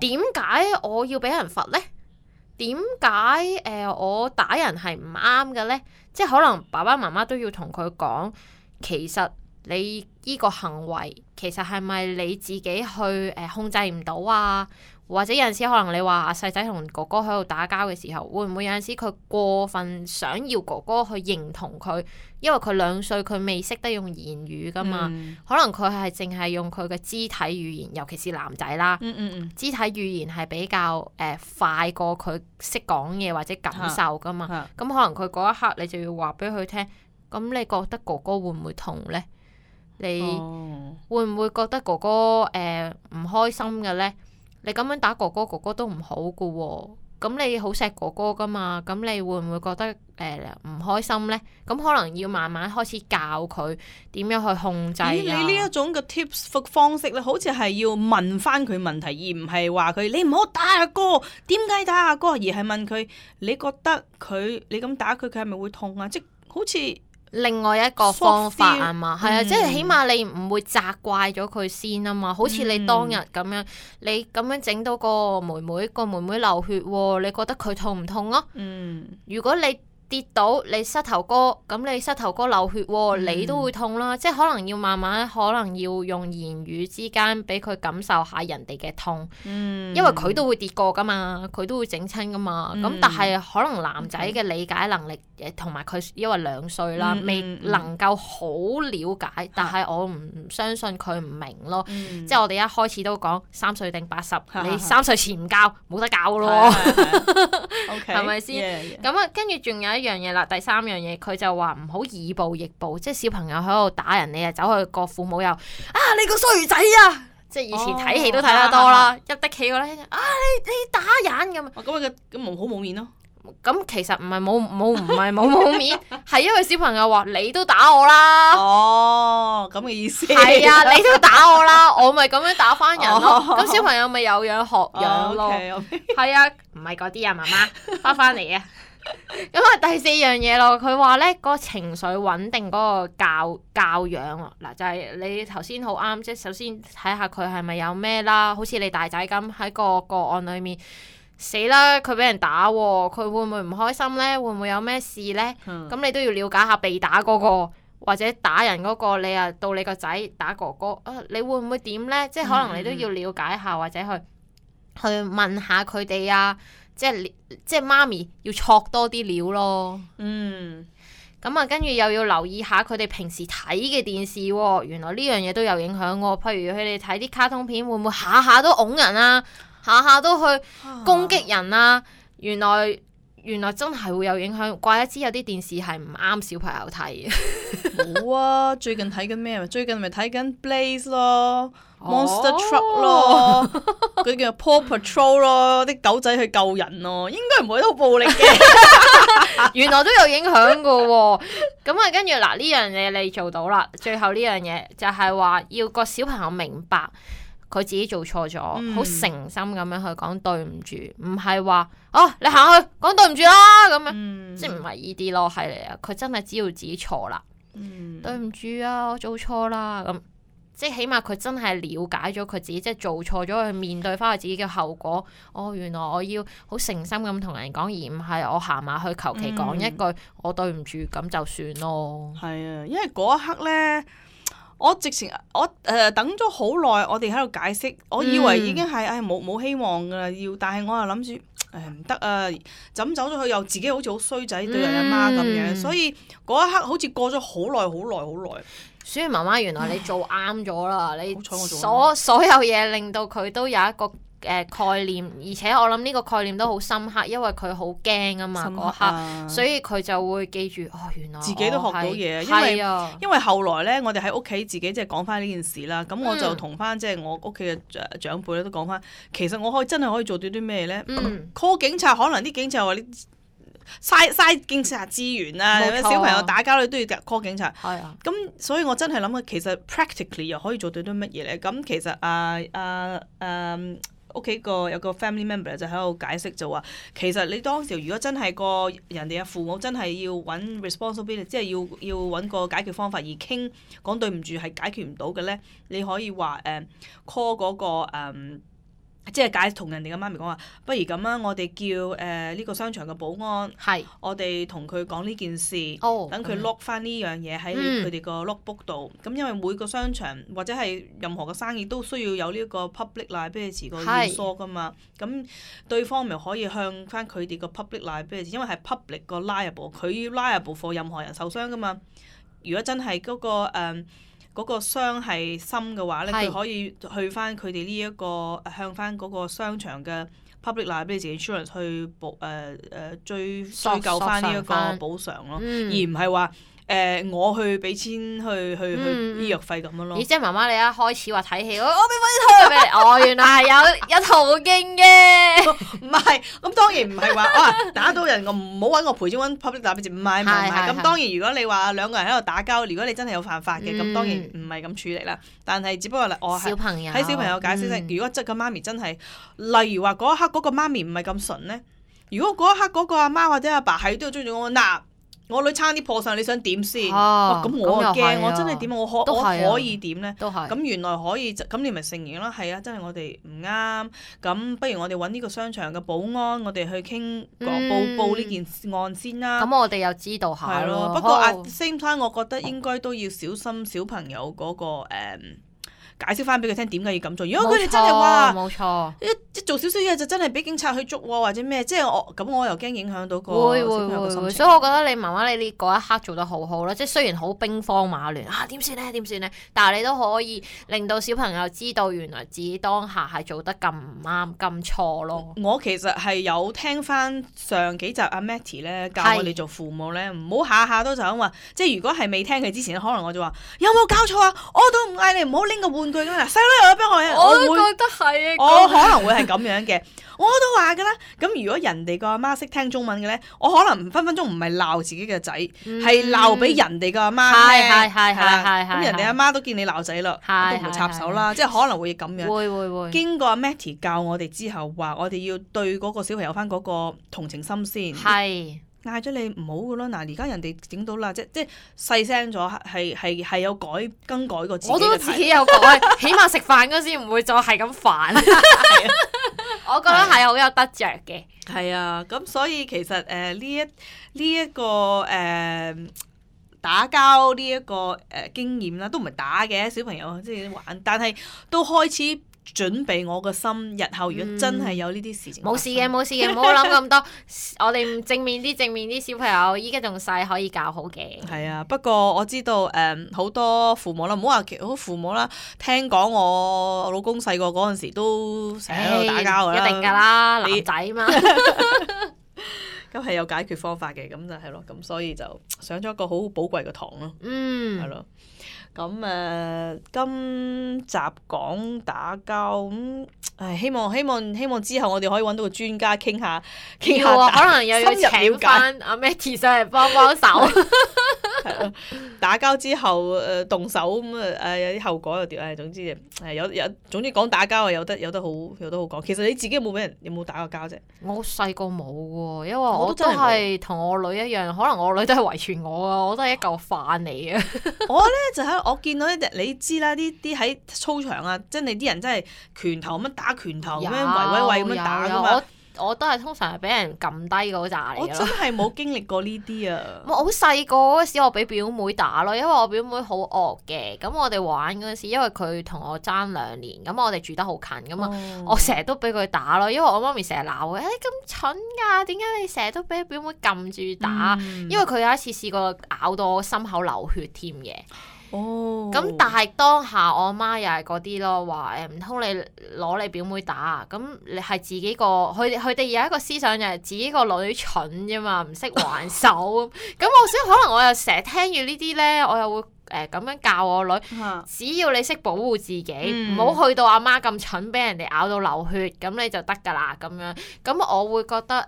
點解我要俾人罰咧？點解我打人係唔啱嘅咧？即係可能爸爸媽媽都要同佢講，其實你依個行為其實係咪你自己去控制唔到啊？或者有陣時可能你話阿細仔同哥哥喺度打交嘅時候，會唔會有陣時佢過分想要哥哥去認同佢？因為佢2歲，佢未識得用言語噶嘛，可能佢係淨係用佢嘅肢體語言，尤其是男仔啦，肢體語言係比較快過佢識講嘢或者感受噶嘛。咁可能佢嗰一刻你就要話俾佢聽，咁你覺得哥哥會唔會痛呢？你會唔會覺得哥哥唔開心嘅呢？你咁樣打哥哥，哥哥都唔好噶喎。咁你好錫哥哥噶嘛？咁你會唔會覺得唔開心呢？咁可能要慢慢開始教佢點樣去控制。你呢一種嘅 tips 方式咧，好似係要問翻佢問題，而唔係話佢你唔好打阿哥，點解打阿哥？而係問佢你覺得你咁打佢，佢係咪會痛啊？即好似另外一個方法啊嘛，係啊，即係起碼你唔會責怪咗佢先啊嘛。好似你當日咁樣，你咁樣整到個妹妹流血喎，你覺得佢痛唔痛啊？如果你跌到你膝頭哥，咁你膝頭哥流血喎，你都會痛啦。即係可能要慢慢，可能要用言語之間俾佢感受下人哋嘅痛，因為佢都會跌過噶嘛，佢都會整親噶嘛。咁但係可能男仔嘅理解能力同埋佢因為2歲啦，未能夠好了解，但係我唔相信佢唔明咯。即係我哋一開始都講3歲定80，你3歲前唔教冇得教咯，係咪先？咁啊，跟住仲有一樣嘢啦，第3樣嘢佢就話唔好以暴易暴，即係小朋友喺度打人，你啊走去個父母又你個衰仔啊！即係以前睇戲都睇得多啦，入得企嗰咧你打人咁。咁好冇面咯。咁其實唔係冇面，係因為小朋友話你都打我啦。哦，咁嘅意思。係啊，你都打我啦，我咪咁樣打翻人咯。咁小朋友咪有樣學樣咯。係啊，唔係嗰啲啊，媽媽翻嚟啊。咁啊，第四樣嘢咯，佢話咧嗰個情緒穩定嗰個教養啊，嗱就係你頭先好啱，即係首先睇下佢係咪有咩啦，好似你大仔咁喺個案裏面。死啦！佢俾人打喎，佢會唔會唔開心呢？會唔會有咩事呢？咁你都要了解下被打嗰個或者打人嗰個，你啊到你個仔打哥哥你會唔會點呢？即係可能你都要了解下或者去問下佢哋啊，即係媽咪要戳多啲料咯。咁啊，跟住又要留意下佢哋平時睇嘅電視喎，原來呢樣嘢都有影響喎。譬如佢哋睇啲卡通片，會唔會下下都㧬人啊？下下都去攻擊人啊！原來真係會有影響，怪得知有啲電視係唔啱小朋友睇嘅。冇啊！最近睇緊咩？最近咪睇緊 Blaze 咯，Monster Truck 咯，嗰啲叫 Paw Patrol 咯，啲狗仔去救人咯，應該唔會好暴力嘅。原來都有影響㗎喎。咁啊，跟住嗱呢樣嘢你做到啦。最後呢樣嘢就係話要個小朋友明白。佢自己做錯咗，好誠心咁樣去講對唔住，唔係話你行去講對唔住啦咁樣，即係唔係依啲咯，係嚟啊！佢真係知道自己錯啦，對唔住啊，我做錯啦咁，即係起碼佢真係了解咗佢自己，即係做錯咗，去面對翻佢自己嘅後果。原來我要好誠心咁同人講，而唔係我行埋去求其講一句我對唔住咁就算咯。係啊，因為嗰一刻咧。我直情等咗好耐，我哋喺度解釋，我以為已經係冇希望噶啦，但係我又諗住唔得啊，就咁走咗去又自己好似好衰仔對人阿媽咁樣，所以嗰一刻好似過咗好耐。所以媽媽原來你做啱咗啦，你所有嘢令到佢都有一個概念，而且我諗呢個概念都好深刻，因為佢好驚啊嘛嗰刻，所以佢就會記住原來自己都學到嘢，因為後來咧，我哋喺屋企自己即係講翻呢件事啦，咁我就同翻即係我屋企嘅長輩咧都講翻，其實我真係可以做到啲咩咧？call 警察，可能啲警察話你嘥警察資源啊，小朋友打交你都要 call 警察，咁所以我真係諗其實 practically 又可以做到啲乜嘢咧？咁其實屋企有個 family member 就喺度解釋就話，其實你當時如果真係人哋嘅父母真係要揾 responsibility， 即係要揾個解決方法而講對唔住係解決唔到嘅咧，你可以話call 嗰個即係同人哋嘅媽咪講話，不如咁啊，我哋叫呢個商場嘅保安，我哋同佢講呢件事，等佢 lock 翻呢樣嘢喺佢哋個 logbook 度。咁因為每個商場或者係任何嘅生意都需要有呢個 public liability 個要疏噶嘛。咁對方咪可以向翻佢哋個 public liability，因為係 public 個 liable，佢要 liable for 任何人受傷噶嘛。如果真係嗰個傷係深嘅話咧，佢可以去翻佢哋呢一個向翻嗰個商場嘅 public liability insurance 去追究翻呢一個補償咯，而唔係話我去俾錢去醫藥費咁樣咯。即係媽媽你一開始話睇戲，我俾翻啲俾你，原來係有途徑嘅。唔係，咁當然唔係話打到人我唔好揾我賠錢揾 public liability，唔係。咁當然如果你話兩個人喺度打交，如果你真係有犯法嘅，咁當然唔係咁處理啦。但係只不過我係喺小朋友解釋，如果即個媽咪真係，例如話嗰一刻嗰個媽咪唔係咁純咧，如果嗰一刻嗰個阿媽或者阿爸係都要追住我我女差啲破相，你想點先？咁我驚，我真係點？我可以點咧？咁原來可以，咁你咪承認啦。係啊，真係我哋唔啱。咁不如我哋揾呢個商場嘅保安，我哋去傾報呢件案先啦。咁我哋又知道下咯。不過 at the same time，我覺得應該都要小心小朋友嗰個解釋翻俾佢聽點解要咁做。如果佢哋真係話冇錯，一做少少嘢就真係俾警察去捉或者咩，即係我又驚影響到個小朋友嘅心情。所以我覺得你媽媽你嗰一刻做得好好啦，即係雖然好兵荒馬亂點算咧，但係你都可以令到小朋友知道原來自己當下係做得咁唔啱咁錯咯。我其實係有聽翻上幾集阿 Matty 咧教我哋做父母咧，唔好下下都就咁話，即係如果係未聽佢之前可能我就話有冇搞錯啊？我都唔嗌你唔好拎個玩具㗎嘛，細佬又有俾我都覺得係啊，我可能會係咁樣嘅。我都話㗎啦，咁如果人哋個阿媽識聽中文嘅咧，我可能分分鐘唔係鬧自己嘅仔，係鬧俾人哋個阿媽聽。係咁人哋阿媽都見你鬧仔啦，都唔會插手啦，即係可能會咁樣。會。經過阿 Matty 教我哋之後，話我哋要對嗰個小朋友翻嗰個同情心先。係。嗌咗你唔好㗎咯，嗱而家人哋整到啦，即細聲咗，係有更改過自己嘅態度。我都自己有改，起碼食飯嗰時唔會再係咁煩。我覺得係好有得着嘅。係啊，咁所以其實呢一個打交呢一個經驗啦，都唔係打嘅，小朋友即係玩，但係都開始準備我個心，日後如果真係有呢啲事情，冇事嘅，唔好諗咁多。我哋正面啲小朋友，依家仲細，可以教好嘅。係啊，不過我知道好多父母啦，唔好話好父母啦，聽講我老公細個嗰陣時都成日喺度打交㗎啦，一定㗎啦，男仔嘛。咁係有解決方法嘅，咁就係咯，咁所以就上咗一個好寶貴嘅堂咯，係咯。咁今集講打交咁，希望之後我哋可以揾到個專家傾下可能又要請翻阿 Matty 上嚟幫手。係咯，打交之後動手咁有啲後果又點？總之總之講打交有得好講。其實你自己有冇打過交啫？我細個冇喎，因為我都係同我女一樣，可能我女都係遺傳我啊，我都係一嚿飯嚟嘅。我咧就喺我見到你知啦，啲喺操場啊，真係啲人真係拳頭咁打拳頭咁樣圍咁樣打噶嘛。我都係通常係俾人撳低嗰扎嚟嘅。我真係冇經歷過呢啲啊！我好細個嗰時，我俾表妹打咯，因為我表妹好惡嘅。咁我哋玩嗰陣時，因為佢同我爭2年，咁我哋住得好近咁啊，我成日都俾佢打咯。因為我媽咪成日鬧佢，你咁蠢㗎，點解你成日都俾表妹撳住打？因為佢有一次試過咬到我心口流血添嘅。咁但係當下我阿媽又係嗰啲咯，話唔通你攞你表妹打啊？咁你係自己個佢哋有一個思想就係自己個女蠢啫嘛，唔識還手。咁所以可能我又成日聽住呢啲咧，我又會咁樣教我女，只要你識保護自己，唔好去到阿媽咁蠢，俾人哋咬到流血，咁你就得㗎啦咁樣。咁我會覺得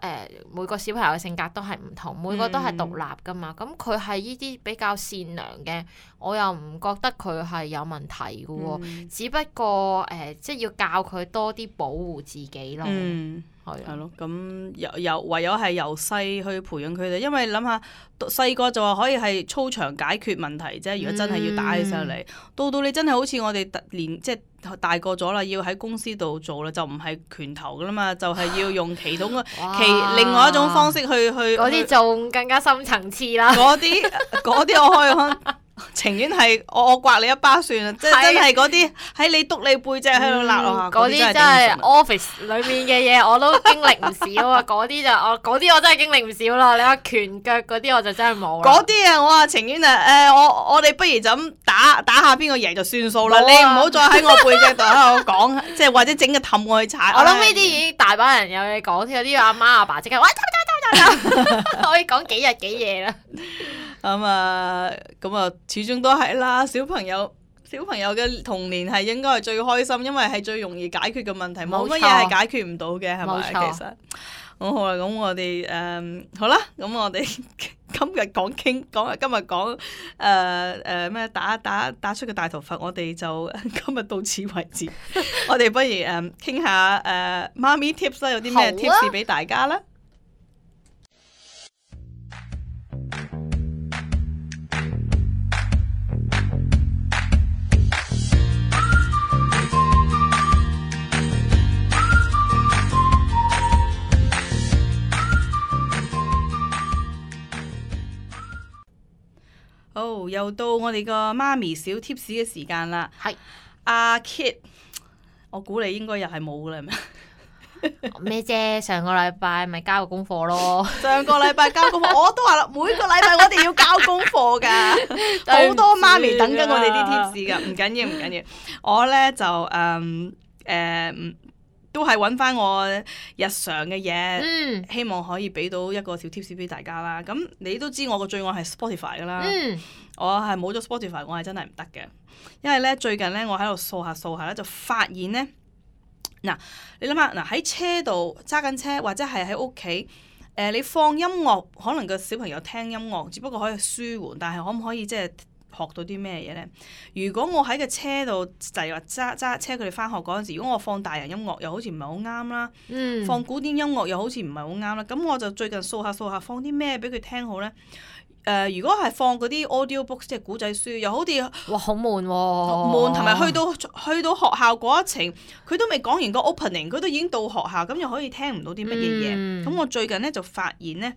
每個小朋友嘅性格都係唔同，每個都係獨立㗎嘛。咁佢係呢啲比較善良嘅，我又唔覺得佢係有問題㗎喎。只不過即係要教佢多啲保護自己咯。係咯，咁唯有係由細去培養佢哋，因為諗下細個就話可以係操場解決問題啫。如果真係要打起上嚟，到你真係好似我哋即係大個咗啦，要喺公司度做啦，就唔係拳頭噶啦嘛，就係要用其另外一種方式去嗰啲仲更加深層次啦。嗰啲我可以情願係我刮你一巴算啦，即係真係嗰啲喺你督你背脊喺度揦落下，嗰啲真係 office 裏面嘅嘢我都經歷唔少啊！嗰啲我真係經歷唔少啦。你話拳腳嗰啲我就真係冇啦。嗰啲我話情願我哋不如就咁打下邊個贏就算數啦。你唔好再喺我背脊度喺度講，即係或者整個氹我去踩。我諗呢啲已經大把人有嘢講，有啲阿媽阿爸即刻，喂，可以講幾日幾夜啦。咁啊，始終都係啦。小朋友嘅童年係應該係最開心，因為係最容易解決嘅問題，冇乜嘢係解決唔到嘅，係咪？其實好啦，咁我哋好啦，咁我哋今日講咩打出個大頭佛，我哋就今日到此為止。我哋不如傾下媽咪 tips 啦，有啲咩 tips 俾大家啦？又到我哋個媽咪小 tips 嘅時間啦。係阿 Kit， 我估你應該又係冇㗎啦，係咪？咩啫？上個禮拜咪交個功課咯。上個禮拜交功課，我都話啦，每個禮拜我哋要交功課㗎，好多媽咪等緊我哋啲 tips 㗎。唔緊要，我咧就都係揾翻我日常嘅嘢，希望可以俾到一個小 tips 俾大家啦。咁你都知我個最愛係 Spotify 噶啦，我係冇咗 Spotify， 我係真係唔得嘅。因為咧最近咧我喺度掃下咧，就發現咧嗱，你諗下嗱，喺車度揸緊車或者係喺屋企。你放音樂，可能個小朋友聽音樂，只不過可以舒緩，但係可唔可以即係學到啲咩嘢咧？如果我喺個車度就係話揸車佢哋翻學嗰陣時，如果我放大人音樂，又好似唔係好啱啦，放古典音樂又好似唔係好啱啦，咁我就最近掃下，放啲咩俾佢聽好咧？如果係放嗰啲 audio book 即係古仔書，又好似哇好悶喎，悶，同埋去到學校嗰一程，佢都未講完個 opening， 佢都已經到學校，咁又可以聽唔到啲乜嘢嘢。咁我最近咧就發現咧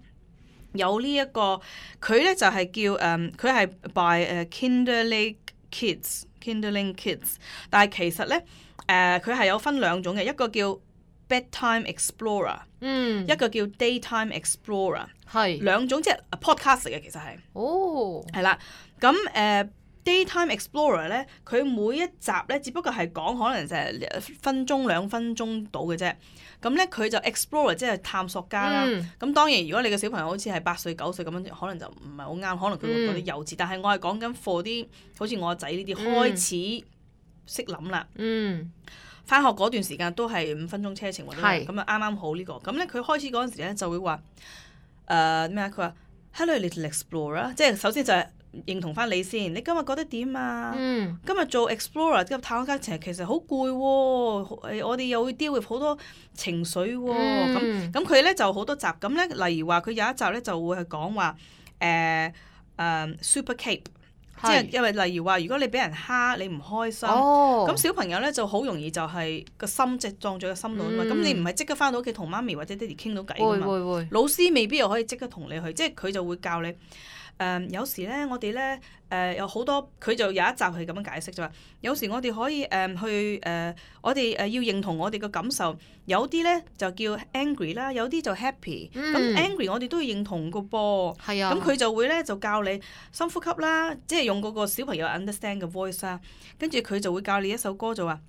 有呢一個，佢咧就係叫佢係 by Kinderling Kids，但係其實咧佢係有分兩種嘅，一個叫Bedtime Explorer，一個叫 Daytime Explorer， 係兩種即係 podcast 嚟嘅，其實係係啦。咁Daytime Explorer 咧，佢每一集咧，只不過係講可能就係1分鐘2分鐘到嘅啫。咁咧佢就 Explorer 即係探索家啦。咁當然如果你嘅小朋友好似係8歲9歲咁樣，可能就唔係好啱，可能佢會覺得幼稚。但係我係講緊 for 啲好似我仔呢啲開始識諗啦。翻學嗰段時間都係5分鐘車程或者咁啊，啱啱好呢個。咁咧佢開始嗰陣時咧就會話咩啊？佢話 Hello little explorer， 即係首先就係認同翻你先。你今日覺得點啊？今日做 explorer 今日探險家其實好攰喎，我哋又會 deal with 好多情緒喎。咁佢咧就好多集。咁咧例如話佢有一集咧就會係講話super cape。即係因為例如話，如果你俾人蝦，你唔開心，咁小朋友咧就好容易就係個心即係撞咗個心度啊嘛。咁你唔係即刻翻到屋企同媽咪或者爹哋傾到偈噶嘛？老師未必又可以即刻同你去，即係佢就會教你。有時咧，我哋咧有好多，佢就有一集係咁樣解釋就話，有時我哋可以去我哋要認同我哋嘅感受，有啲咧就叫 angry 啦，有啲就 happy。咁 angry 我哋都要認同個噃。係啊。咁佢就會咧就教你深呼吸啦，即係用嗰個小朋友 understand 嘅 voice 啦，跟住佢就會教你一首歌就話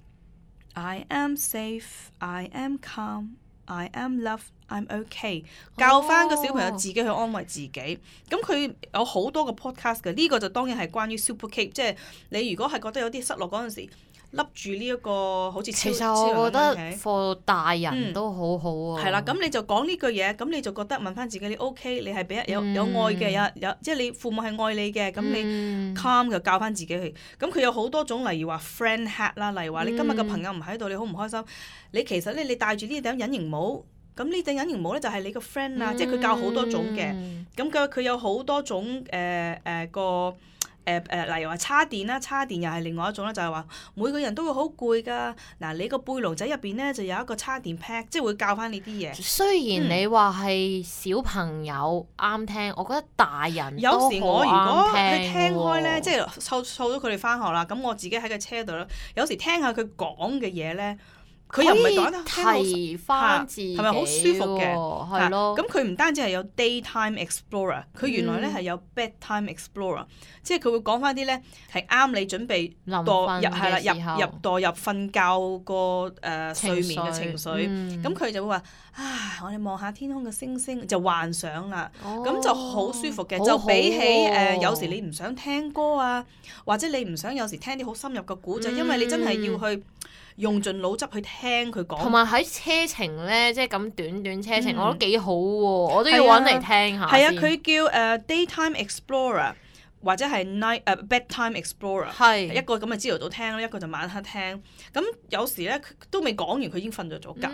I am safe, I am calm, I am loved.I'm okay， 教翻個小朋友自己去安慰自己。咁佢有好多個 podcast 嘅，呢個就當然係關於 Super Cape， 即係你如果係覺得有啲失落嗰陣時，笠住呢一個好似其實我覺得 for 大人都好好啊。係啦，咁你就講呢句嘢，咁你就覺得問翻自己你 OK， 你係俾有愛嘅，有即係你父母係愛你嘅，咁你 calm 就教翻自己去。咁佢有好多種，例如話 friend hat 啦，例如話你今日嘅朋友唔喺度，你好唔開心，你其實咧你戴住呢頂隱形帽。咁呢頂隱形帽咧就係你個 friend 啊，即係佢教好多種嘅。咁佢有好多種例如話叉電啦，叉電又係另外一種啦，就係話每個人都會好攰㗎。嗱，你個背囊仔入邊咧就有一個叉電 pack， 即係會教翻你啲嘢。雖然你話係小朋友啱聽，我覺得大人有時我如果去聽開咧，即係湊咗佢哋翻學啦，咁我自己喺個車度咧，有時聽下佢講嘅嘢咧。佢又唔係講得提翻自己，係咪好舒服嘅？係咯。咁佢唔單止係有 Daytime Explorer， 佢原來咧係有 Bedtime Explorer， 即係佢會講翻啲咧係啱你準備墮入瞓覺個睡眠嘅情緒。咁佢就會話：我哋望下天空嘅星星，就幻想啦。咁就好舒服嘅，就比起有時你唔想聽歌啊，或者你唔想有時聽啲好深入嘅古仔，因為你真係要去。用盡腦汁去聽佢講，同埋喺車程咧，即係咁短車程，我覺得幾好喎，我都要揾嚟聽下。係啊，佢叫Daytime Explorer 或者係Bedtime Explorer， 係一個咁嘅朝頭早聽啦，一個就晚黑聽。咁有時咧都未講完，佢已經瞓咗覺。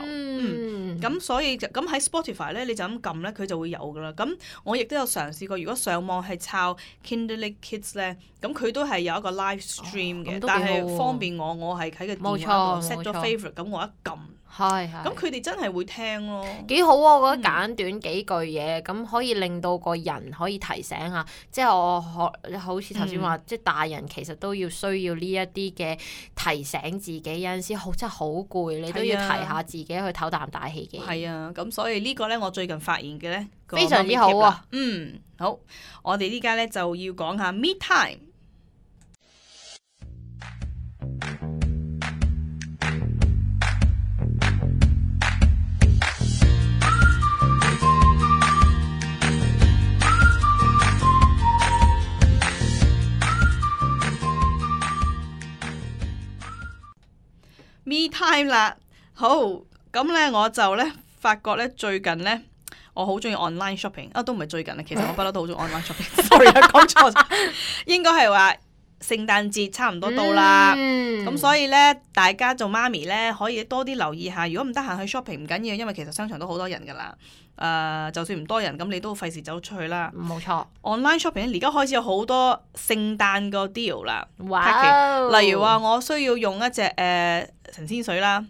咁所以咁喺 Spotify 咧，你就咁撳咧，佢就會有噶啦。咁我亦都有嘗試過，如果上網係抄 Kinderling Kids 咧，咁佢都係有一個 live stream 嘅，但係方便我係喺個電話度 set 咗 favorite， 咁我一撳。咁佢哋真係會聽咯，幾好啊！我覺得簡短幾句嘢，咁可以令到個人可以提醒下。即係我好似頭先話，即係大人其實都要需要呢一啲嘅提醒自己。有陣時真係好攰，你都要提下自己去唞啖大氣嘅。係啊，咁所以呢個咧，我最近發現嘅咧，非常之好啊。好，我哋呢家咧就要講下 me time。Me time 啦。好，咁咧我就咧發覺咧最近咧我好中意 online shopping 都唔係最近啦，其實我不嬲都好中意 online shopping。sorry 講錯咗，應該係話聖誕節差唔多到啦，咁所以咧大家做媽咪咧可以多啲留意下，如果唔得閒去 shopping 唔緊要，因為其實商場都好多人噶啦。就算唔多人，咁你都費事走出去啦。冇錯 ，online shopping 而家開始有好多聖誕個 deal 啦。哇！例如話我需要用一隻神仙水啦，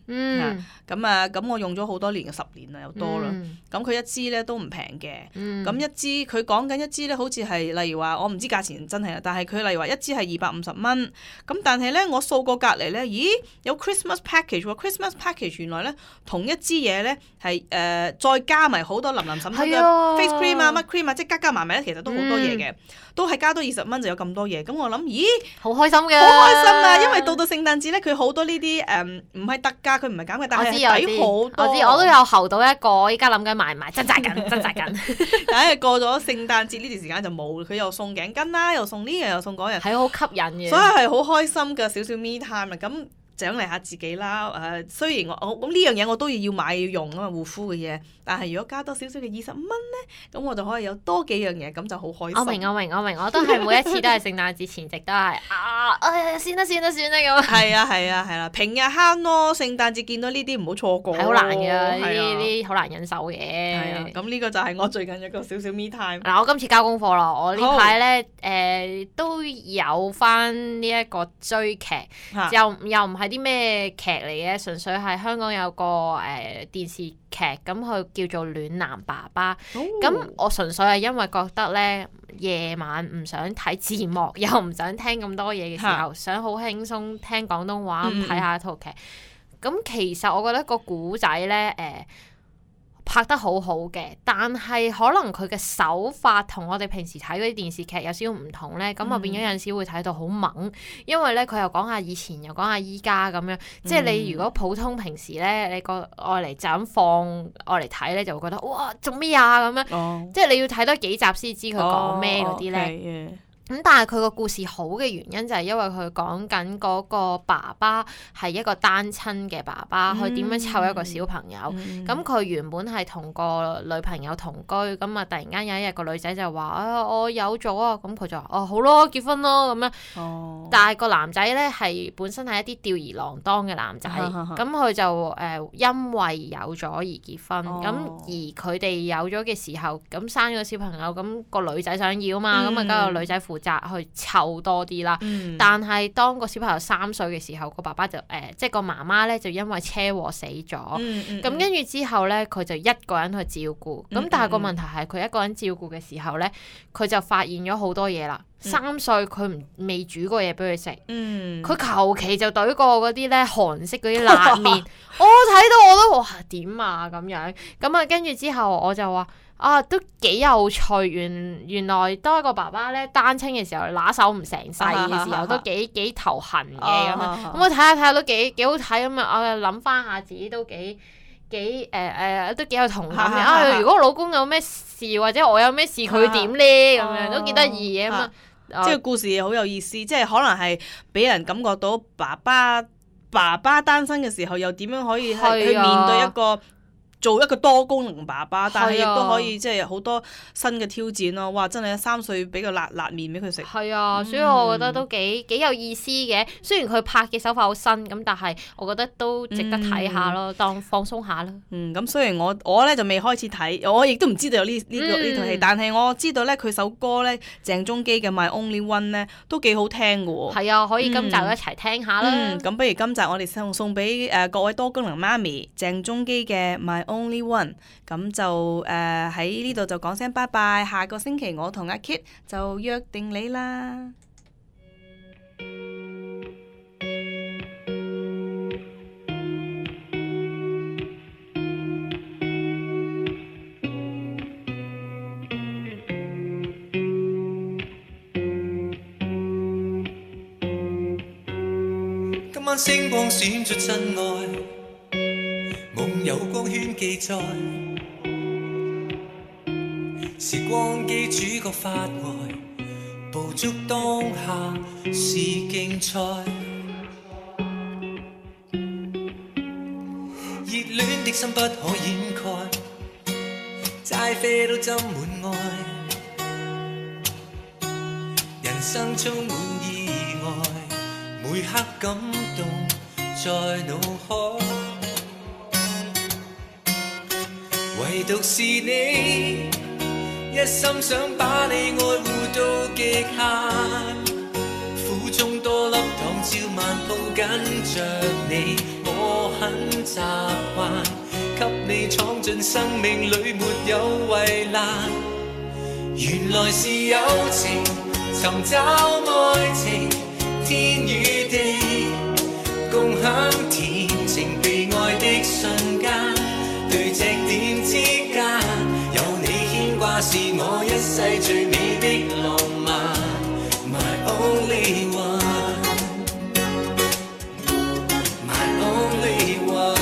咁我用咗好多年嘅10年啦，又多啦。咁佢一支咧都唔平嘅，咁一支佢講緊一支咧，好似係例如話我唔知價錢真係啦，但係佢例如話一支係250蚊，咁但係咧我掃過隔離咧，咦有 Christmas package 喎，Christmas package 原來咧同一支嘢咧係再加埋好多林林審審嘅 face cream 啊乜 cream 啊，即係加埋咧，其實都好多嘢嘅，都係加多20蚊就有咁多嘢，咁我諗咦好開心嘅，好開心啊！因為到聖誕節咧，佢好多呢啲唔係特價，佢唔係減嘅，但係抵好多。我都有候到一個，依家諗緊買唔買，掙扎緊。但係過咗聖誕節呢段時間就冇，佢又送頸巾啦，又送呢樣又送嗰樣，係好吸引嘅。所以係好開心嘅少少 me time 啊！咁獎勵下自己啦。雖然我咁呢樣嘢我都要買要用啊嘛，護膚嘅嘢。但係如果加多少少嘅20蚊咧，咁我就可以有多幾樣嘢，咁就好開心。我明，我都係每一次都係聖誕節前夕都係算啦咁。係啦，平日慳咯，聖誕節見到呢啲唔好錯過。係好難嘅，呢啲好難忍受嘅。係啊，咁呢個就係我最近一個少少 me time。嗱，我今次交功課啦，我呢排咧都有翻呢一個追劇，又唔係啲咩劇嚟嘅，純粹係香港有個電視劇，咁佢叫做《暖男爸爸》。咁我純粹係因為覺得咧夜晚唔想睇字幕，又唔想聽咁多嘢嘅時候，想好輕鬆聽廣東話咁睇下一套劇。咁其實我覺得個古仔咧拍得好好嘅，但係可能佢嘅手法同我哋平時睇嗰啲電視劇有少少唔同咧，咁啊變咗有陣時會睇到好猛，因為咧佢又講下以前又講下依家咁樣，即係你如果普通平時咧你個愛嚟就咁放愛嚟睇咧，就會覺得哇做咩啊咁樣，即係你要睇多幾集先知佢講咩嗰啲咧。咁但係佢個故事好嘅原因就係因為佢講緊嗰個爸爸係一個單親嘅爸爸，佢點樣湊一個小朋友。咁佢原本係同個女朋友同居，咁啊突然間有一日個女仔就話我有咗啊，咁佢就話好咯，結婚咯咁樣。但係個男仔咧係本身係一啲吊兒郎當嘅男仔，咁佢就因為有咗而結婚。咁而佢哋有咗嘅時候，咁生咗個小朋友，咁個女仔想要嘛，咁啊梗係個女仔負責去湊多啲啦，但係當個小朋友3歲嘅時候，個爸爸就即係個媽媽咧就因為車禍死咗，咁跟住之後咧佢就一個人去照顧，咁但係個問題係佢一個人照顧嘅時候咧，佢就發現咗好多嘢啦。3歲佢未煮過嘢俾佢食，佢求其就懟過嗰啲咧韓式嗰啲辣麵，我睇到我都哇點啊咁樣，咁啊跟住之後我就話。都幾有趣，原來當一個爸爸咧單親嘅時候，拿手唔成勢嘅時候，都幾頭痕嘅咁樣。咁我睇下都幾好睇咁啊！我諗翻下自己都幾都幾有同感嘅。如果老公有咩事或者我有咩事，佢會點咧？咁樣都幾得意嘅咁啊！即係故事好有意思，即係可能係俾人感覺到爸爸單身嘅時候，又點樣可以去面對做一個多功能爸爸，但係亦都可以即係好多新嘅挑戰咯。哇！真係3歲俾個辣麵俾佢食。係啊，所以我覺得都幾有意思嘅。雖然佢拍嘅手法好新，咁但係我覺得都值得睇下咯，當放鬆下啦。咁雖然我咧就未開始睇，我亦都唔知道有呢套戲，但係我知道咧佢首歌咧鄭中基嘅 My Only One 咧都幾好聽嘅喎。係啊，可以今集一齊聽下啦。咁不如今集我哋送俾各位多功能媽咪鄭中基嘅 My Only One， 咁就喺呢度就講聲拜拜，下個星期我同阿 Kit 就約定你啦。今晚星光閃出真愛，夢有光圈記載，時光機主角發呆，捕捉當下是競賽。的心不可掩蓋，齋啡都斟滿愛。人生充滿意外，每刻感動在腦海，唯獨是你，一心想把你愛護到極限。苦中多粒糖，照晚抱緊着你，我很習慣，給你闖進生命裏沒有圍欄。原來是友情，尋找愛情，天與地，共享甜情被愛的瞬間，對隻點之間，有你牽掛是我一世最美的浪漫。My only one, my only one。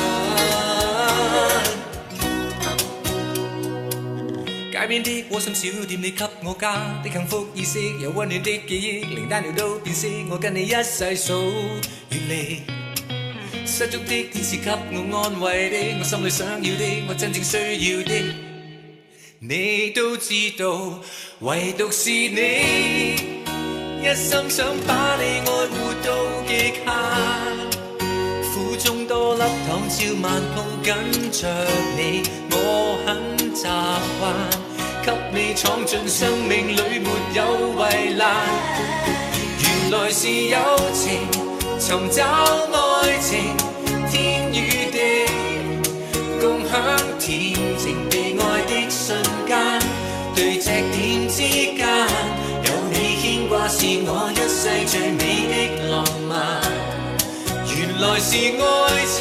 街邊的窩心小店，你給我家的幸福意識，有溫暖的記憶，連單調都變色，我跟你一世數遠離。失足的天使給我安慰的，我心裏想要的，我真正需要的，你都知道，唯獨是你，一心想把你愛護到極限。苦中多粒糖，照晚抱緊着你，我很習慣，給你闖進生命裏沒有圍欄。原來是友情，尋找愛情，天與地，共享甜情被愛的瞬間，對隻點之間，有你牽掛是我一世最美的浪漫。原來是愛情，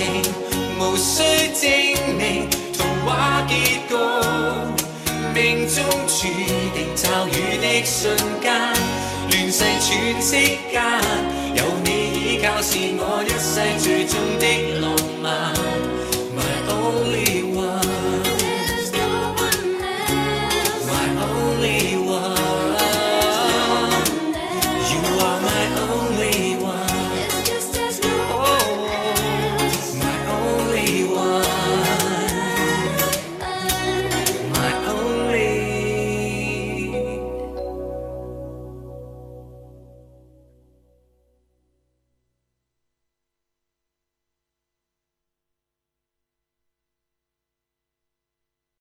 無需證明，童話結局，命中注定驟雨的瞬間，亂世喘息間，有你依靠是我